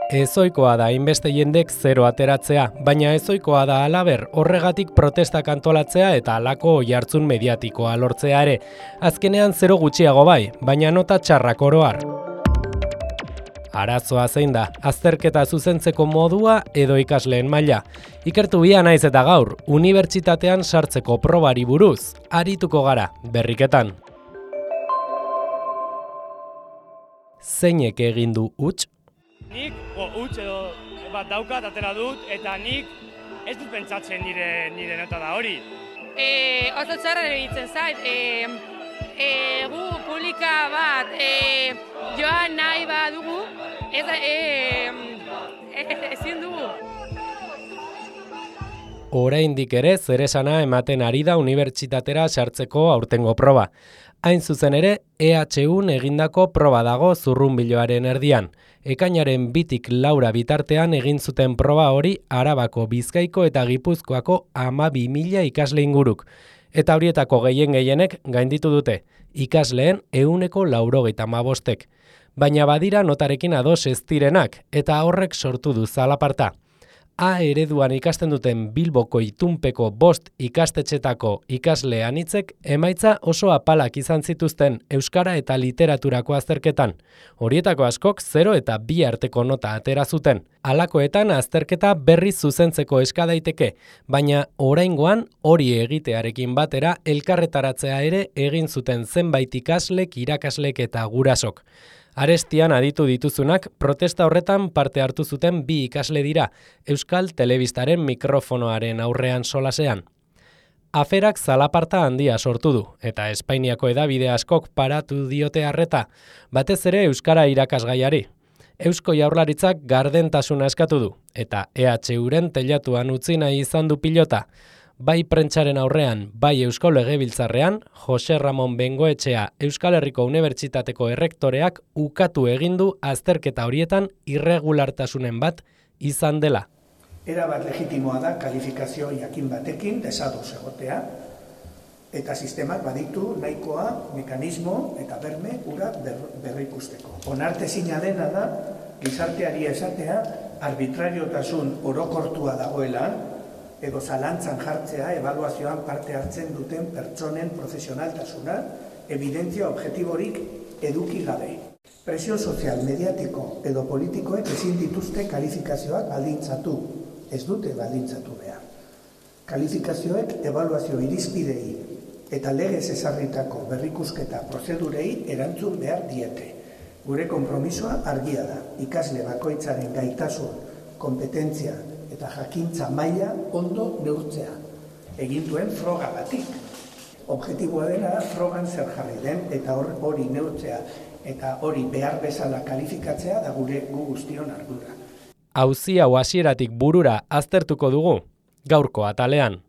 Ezoikoa da hainbeste jendek zero ateratzea, baina ezoikoa da halaber horregatik protestak antolatzea eta halako oihartzun mediatikoa lortzea ere. Azkenean zero gutxiago bai, baina nota txarrak oro har. Arazoa zein da, azterketa zuzentzeko modua edo ikasleen maila. Ikertu bia naiz eta gaur, unibertsitatean sartzeko probari buruz, arituko gara, berriketan. Zeinek egin du huts? Nik huts edo bat daukat atera dut eta nik ez dut pentsatzen nire nota da hori. Oso txarra egiten zait, gu publika bat joan nahi badugu, ezin dugu. Oraindik ere zeresana ematen ari da unibertsitatera sartzeko aurtengo proba. Hain zuzen ere, EHUn egindako proba dago zurrunbiloaren erdian. Ekainaren 2tik 4 bitartean egin zuten proba hori Arabako, Bizkaiko eta Gipuzkoako 12.000 ikasle inguruk. Eta horietako gehienek gainditu dute, ikasleen 95%. Baina badira notarekin ados ez direnak, eta horrek sortu du zalaparta. A ereduan ikasten duten Bilboko itunpeko 5 ikastetxetako ikasle anitzek emaitza oso apalak izan zituzten euskara eta literaturako azterketan. Horietako askok 0 eta 2 arteko nota atera zuten. Halakoetan azterketa berriz zuzentzeko eska daiteke, baina oraingoan hori egitearekin batera elkarretaratzea ere egin zuten zenbait ikaslek, irakaslek eta gurasok. Arestian aditu dituzunak protesta horretan parte hartu zuten 2 ikasle dira, Euskal Telebistaren mikrofonoaren aurrean solasean. Aferak zalaparta handia sortu du, eta Espainiako hedabide askok paratu diote arreta, batez ere euskara irakasgaiari. Eusko Jaurlaritzak gardentasuna eskatu du, eta EHUren teilatuan utzi nahi izan du pilota. Bai prentsaren aurrean, bai Eusko Legebiltzarrean, Jose Ramon Bengoetxea Euskal Herriko Unibertsitateko errektoreak ukatu egin du azterketa horietan irregulartasunen bat izan dela. Erabat legitimoa da kalifikazio jakin batekin desados egotea, eta sistemak baditu nahikoa mekanismo eta berme hura berrikusteko. Onartezina dena da gizarteari esatea arbitrariotasun orokortua dagoela, edo zalantzan jartzea ebaluazioan parte hartzen duten pertsonen profesionaltasuna, evidentzia objektiborik eduki gabe. Presio sozial, mediatiko edo politikoek ezin dituzte kalifikazioak baldintzatu, ez dute baldintzatu behar. Kalifikazioek ebaluazio irizpidei eta legez ezarritako berrikusketa prozedurei erantzun behar diete. Gure konpromisoa argia da, ikasle bakoitzaren gaitasun, kompetentzia eta jakintza maila ondo neurtzea, egin duen froga batik. Objektiboa dena frogan zer jarri den eta hori neurtzea eta hori behar bezala kalifikatzea da gu guztion ardura. Auzi hau hasieratik burura aztertuko dugu, gaurko atalean.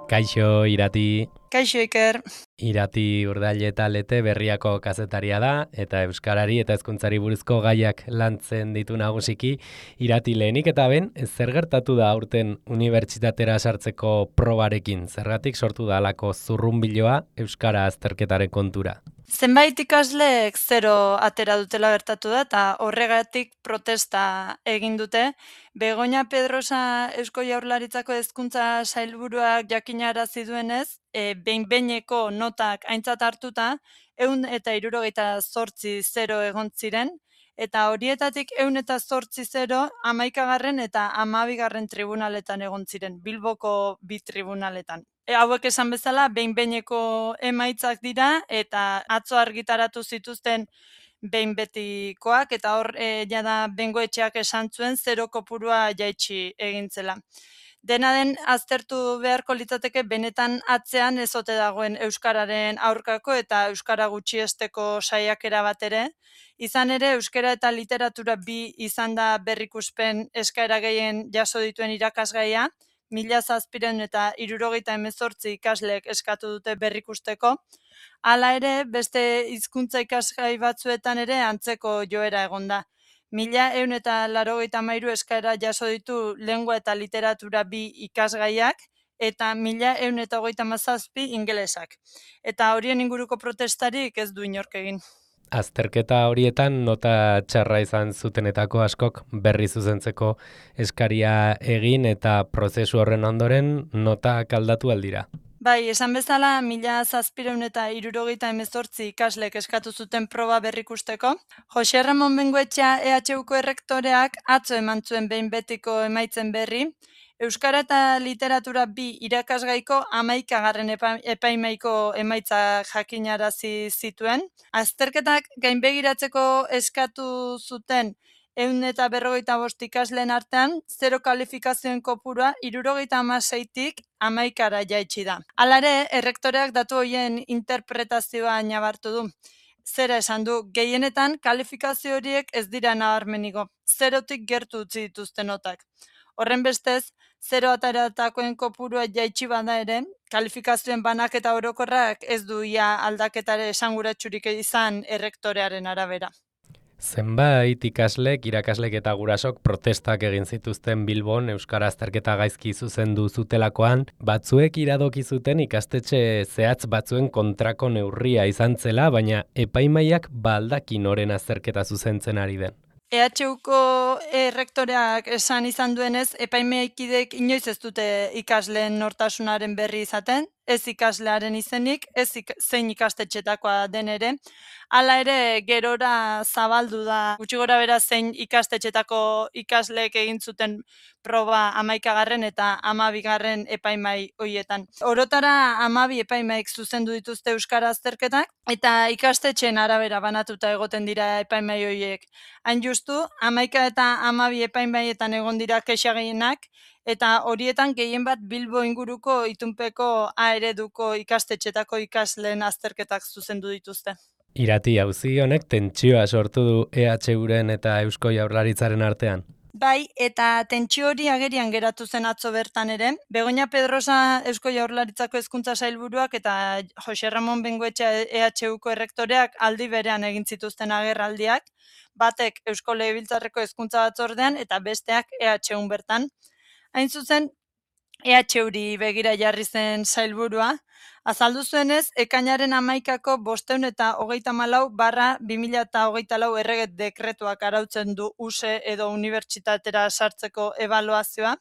Kaixo, Irati. Kaixo, Iker. Irati Urdaile eta Lete Berriako kazetaria da, eta euskarari eta hezkuntzari buruzko gaiak lantzen ditu nagusiki. Irati, lehenik eta ben, zer gertatu da aurten unibertsitatera sartzeko probarekin? Zergatik sortu da halako zurrunbiloa euskara azterketaren kontura? Zenbait ikaslek 0 atera dutela gertatu da, eta horregatik protesta egin dute. Begoña Pedrosa Eusko Jaurlaritzako hezkuntza sailburuak jakinarazi duenez, behin-behineko notak aintzat hartuta, 178 0 egon ziren, eta horietatik 108 0 11. eta 12. tribunaletan egon ziren, Bilboko 2 tribunaletan. Hauek esan bezala, behin-behineko emaitzak dira, eta atzo argitaratu zituzten behin betikoak, eta hor jada Bengoetxeak esan zuen 0 kopurua jaitsi egintzela. Dena den aztertu beharko litzateke benetan atzean ez ote dagoen euskararen aurkako eta euskara gutxiesteko saiakera bat ere. Izan ere, euskara eta literatura 2 izan da berrikuspen eskaera gehien jaso dituen irakasgaia, 1778 ikaslek eskatu dute berrikusteko. Hala ere, beste hizkuntza ikasgai batzuetan ere antzeko joera egonda. 1183 eskaera jaso ditu lengua eta literatura 2 ikasgaiak, eta 1137 ingelesak. Eta horien inguruko protestarik ez du inork egin. Azterketa horietan nota txarra izan zutenetako askok berri zuzentzeko eskaria egin eta prozesu horren ondoren notak aldatu aldira. Bai, esan bezala, 1778 ikaslek eskatu zuten proba berrikusteko. Jose Ramon Bengoetxea EHUko errektoreak atzo eman zuen behin betiko emaitzen berri, Euskara eta literatura 2 irakasgaiko 11. Epaimaiko emaitza jakinarazi zituen. Azterketak gainbegiratzeko eskatu zuten 155 ikasleen artean, 0 kalifikazioen kopurua 76tik 11ra jaitsi da. Hala ere, errektoreak datu horien interpretazioa nabartu du. Zera esan du, gehienetan kalifikazio horiek ez dira nabarmeniko, 0tik gertu utzi dituzte notak. Horren bestez, 0 ataratakoen kopurua jaitsi bada ere, kalifikazioen banaketa orokorrak ez du ia aldaketare esanguratsurik izan errektorearen arabera. Zenbait ikaslek, irakaslek eta gurasok protestak egin zituzten Bilbon euskara azterketa gaizki zuzendu zutelakoan, batzuek iradoki zuten ikastetxe zehatz batzuen kontrako neurria izan zela, baina epaimaiak baldakin noren azterketa zuzentzen ari den. EHUko errektoreak esan izan duenez, epaimaikidek inoiz ez dute ikasleen nortasunaren berri izaten, ez ikaslearen izenik, ez zein ikastetxetakoa den ere. Hala ere, gerora zabaldu da, gutxi gora bera zein ikastetxetako ikasleek egin zuten proba 11. eta 12. epaimai horietan. Orotara 12 epaimaik zuzendu dituzte euskara azterketak, eta ikastetxeen arabera banatuta egoten dira epaimai horiek. Hain justu, 11 eta 12 epaimaietan egon dira kexa gehienak, eta horietan gehien bat Bilbo inguruko itunpeko A ereduko ikastetxetako ikasleen azterketak zuzendu dituzte. Irati, auzi honek tentsioa sortu du EHUren eta Eusko Jaurlaritzaren artean. Bai, eta tentsio hori agerian geratu zen atzo bertan ere. Begoña Pedrosa Eusko Jaurlaritzako hezkuntza sailburuak eta Jose Ramon Bengoetxea EHUko errektoreak aldi berean egin zituzten agerraldiak, batek Eusko Legebiltzarreko hezkuntza batzordean eta besteak EHUn bertan. Hain zuzen, EHUri begira jarri zen sailburua, azaldu zuenez, ekainaren 11ko 534/2024 errege dekretuak arautzen du USE edo unibertsitatera sartzeko ebaluazioa,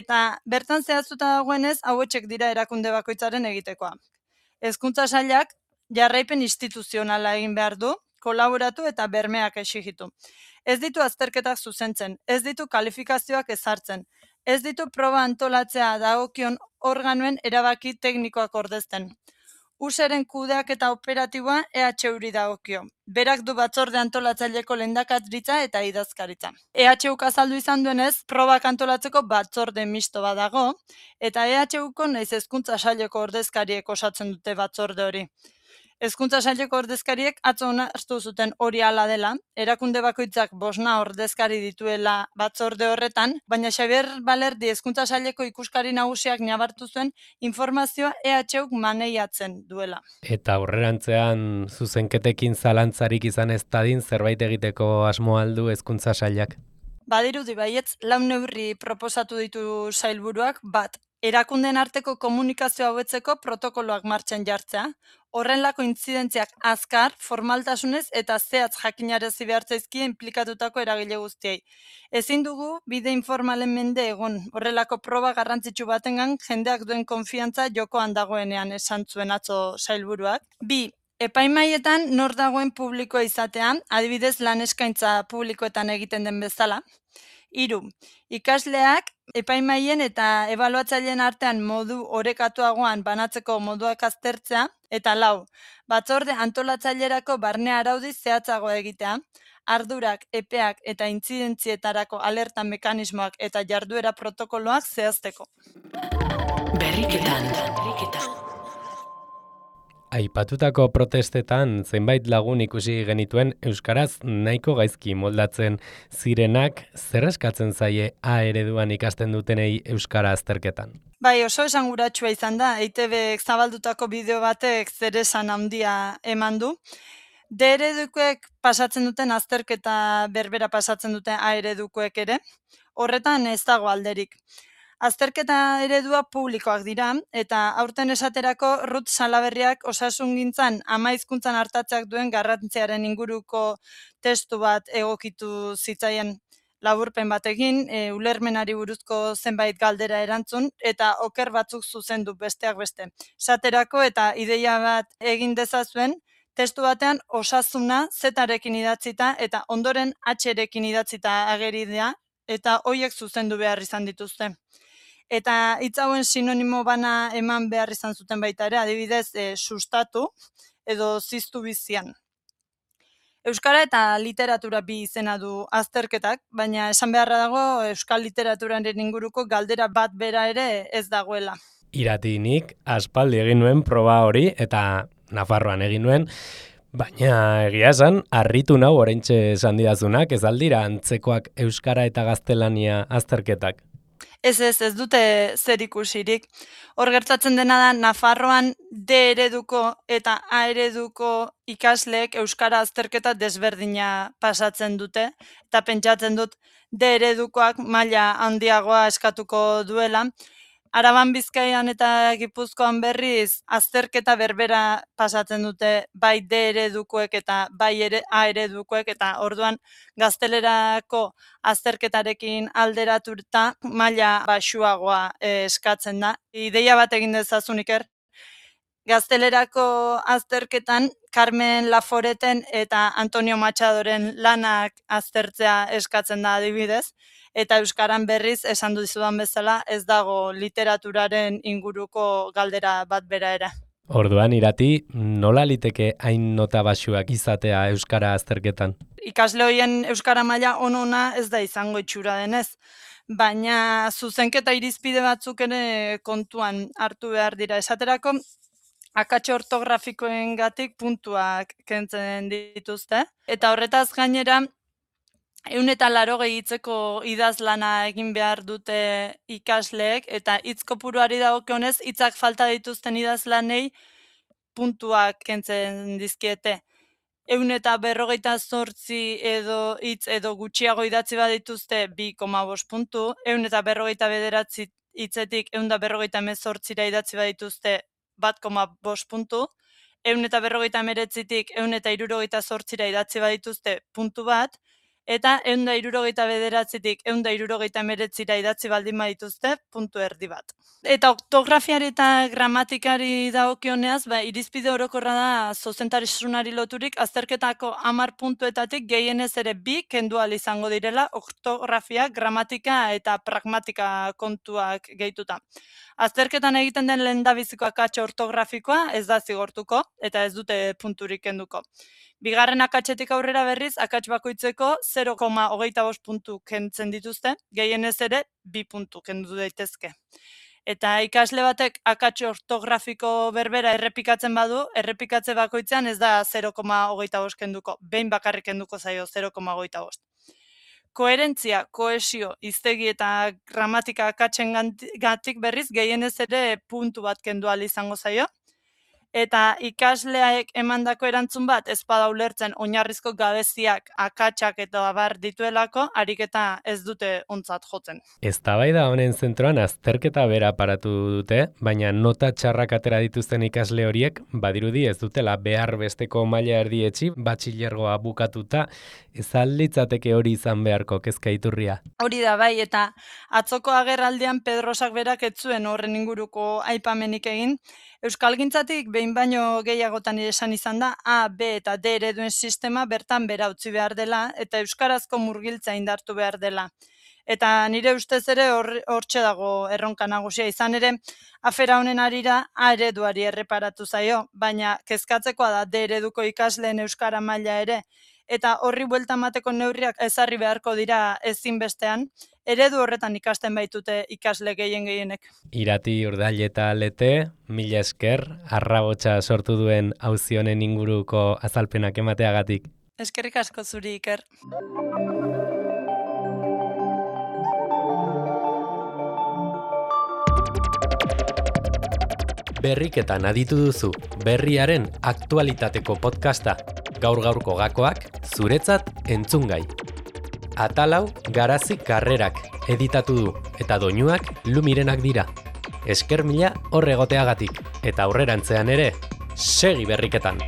eta bertan zehaztuta dagoenez, hauetxek dira erakunde bakoitzaren egitekoa. Hezkuntza sailak jarraipen instituzionala egin behar du, kolaboratu eta bermeak exigitu. Ez ditu azterketak zuzentzen, ez ditu kalifikazioak ezartzen, ez ditu proba antolatzea dagokion organoen erabaki teknikoak ordezten. USEren kudeak eta operatiboa EHUri dagokio. Berak du batzorde antolatzaileko lehendakaritza eta idazkaritza. EHUk azaldu izan duenez, probak antolatzeko batzorde misto bat dago, eta EHUko naiz hezkuntza saileko ordezkariek osatzen dute batzorde hori. Hezkuntza saileko ordezkariek atzo onartu zuten hori hala dela, erakunde bakoitzak 5 ordezkari dituela batzorde horretan, baina Xabier Balerdi hezkuntza saileko ikuskari nagusiak nabartu zuen informazioa EHUk maneiatzen duela. Eta aurrerantzean zuzenketekin zalantzarik izan ez dadin zerbait egiteko asmo aldu hezkuntza sailak. Badirudi baietz, 4 neurri proposatu ditu sailburuak, bat, erakundeen arteko komunikazioa hobetzeko protokoloak martxan jartzea, horrenlako intzidentziak azkar, formaltasunez eta zehatz jakinarazi behar zaizkie inplikatutako eragile guztiei. Ezin dugu bide informalen mende egon, horrelako proba garrantzitsu batengan jendeak duen konfiantza jokoan dagoenean esan zuen atzo sailburuak. 2. Epaimaietan nor dagoen publikoa izatean, adibidez lan eskaintza publikoetan egiten den bezala. 3. Ikasleak epaimaien eta ebaluatzaileen artean modu orekatuagoan banatzeko moduak aztertzea, eta 4. Batzorde antolatzailerako barne araudi zehatzago egitea, ardurak, epeak eta intzidentzietarako alerta mekanismoak eta jarduera protokoloak zehazteko. Berriketan. Aipatutako protestetan zenbait lagun ikusi genituen euskaraz nahiko gaizki moldatzen zirenak, zer eskatzen zaie A ereduan ikasten dutenei euskara azterketan. Bai, oso esanguratsua izan da, EITBek zabaldutako bideo batek zer esan handia eman du. D eredukoek pasatzen duten azterketa berbera pasatzen duten A eredukoek ere, horretan ez dago alderik. Azterketa eredua publikoak dira, eta aurten esaterako Ruth Salaberriak osasungintzan ama hizkuntzan artatzeak duen garrantziaren inguruko testu bat egokitu zitzaien laburpen batekin, ulermenari buruzko zenbait galdera erantzun, eta oker batzuk zuzendu besteak beste. Esaterako eta ideia bat egin dezazuen, testu batean osasuna Z-rekin idatzita eta ondoren H-rekin idatzita ageri da, eta hoiek zuzendu behar izan dituzte. Eta hitz hauen sinonimo bana eman behar izan zuten baita ere, adibidez, sustatu edo ziztu bizian. Euskara eta literatura bi izena du azterketak, baina esan beharra dago euskal literaturaren inguruko galdera bat bera ere ez dagoela. Iratinik aspaldi egin nuen proba hori eta Nafarroan egin nuen, baina egia esan, harritu nau oraintxe esan didazunak, ez aldira antzekoak euskara eta gaztelania azterketak. Ez dute zer ikusirik. Hor gertatzen dena da, Nafarroan D ereduko eta A ereduko ikasleek euskara azterketa desberdina pasatzen dute, eta pentsatzen dut D eredukoak maila handiagoa eskatuko duela. Araban, Bizkaian eta Gipuzkoan berriz azterketa berbera pasatzen dute bai D eredukoek eta bai A eredukoek, eta orduan gaztelerako azterketarekin alderatuta maila baxuagoa eskatzen da. Ideia bat egin dezazun, Iker. Gaztelerako azterketan Carmen Laforeten eta Antonio Machadoren lanak aztertzea eskatzen da adibidez, eta euskaran berriz esan dizudan bezala ez dago literaturaren inguruko galdera bat bera ere. Orduan, Irati, nola liteke hain nota baxuak izatea euskara azterketan? Ikasle horien euskara maila ona ez da izango itxura denez, baina zuzenketa irizpide batzuk ere kontuan hartu behar dira. Esaterako, akats ortografikoengatik puntuak kentzen dituzte, eta horretaz gainera 180 hitzeko idazlana egin behar dute ikasleek, eta hitz kopuruari dagokionez hitzak falta dituzten idazlanei puntuak kentzen dizkiete. 158 edo hitz edo gutxiago idatzi badituzte 2,5 puntu, 159 hitzetik 158ra idatzi badituzte 1,5 puntu, 159tik 168ra idatzi badituzte puntu bat, eta 169tik 169ra idatzi baldin badituzte puntu erdi bat. Eta ortografiari eta gramatikari dagokioneaz, irizpide orokorra da zuzentasunari loturik azterketako 10 puntuetatik gehienez ere 2 kendu ahal izango direla ortografia, gramatika eta pragmatika kontuak gehituta. Azterketan egiten den lehendabiziko akats ortografikoa ez da zigortuko eta ez dute punturik kenduko. Bigarren akatsetik aurrera berriz, akats bakoitzeko 0,25 puntu kentzen dituzte, gehienez ere 2 puntu kendu daitezke. Eta ikasle batek akats ortografiko berbera errepikatzen badu, errepikatze bakoitzean ez da 0,25 kenduko, behin bakarrik kenduko zaio 0,25. Koherentzia, kohesio, hiztegi eta gramatika akatsengatik berriz gehienez ere puntu bat kendu ahal izango zaio. Eta ikasleak emandako erantzun bat ez bada ulertzen oinarrizko gabeziak, akatsak eta abar dituelako, ariketa ez dute ontzat jotzen. Eztabaida honen zentroan azterketa bera paratu dute, baina nota txarrak atera dituzten ikasle horiek badirudi ez dutela behar besteko maila erdietsi, batxilergoa bukatuta, ez alditzateke hori izan beharko kezka iturria. Hori da bai, eta atzoko agerraldian Pedrosak berak ez zuen horren inguruko aipamenik egin. Euskalgintzatik behin baino gehiagotan esan izan da A, B eta D ereduen sistema bertan bera utzi behar dela eta euskarazko murgiltza indartu behar dela. Eta nire ustez ere hortxe dago erronka nagusia, izan ere afera honen arira A ereduari erreparatu zaio, baina kezkatzekoa da D ereduko ikasleen euskara maila ere, eta horri buelta emateko neurriak ezarri beharko dira ezinbestean, eredu horretan ikasten baitute ikasle gehienek. Irati Urdaileta Lete, mila esker, arrabotsa sortu duen auzi honen inguruko azalpenak emateagatik. Eskerrik asko zuri, Iker. Berriketan aditu duzu, berriaren aktualitateko podcasta. Gaur-gaurko gakoak zuretzat entzungai. Atalau Garazi Karrerak editatu du, eta doinuak Lumirenak dira. Esker mila hor egoteagatik, eta aurrerantzean ere, segi berriketan!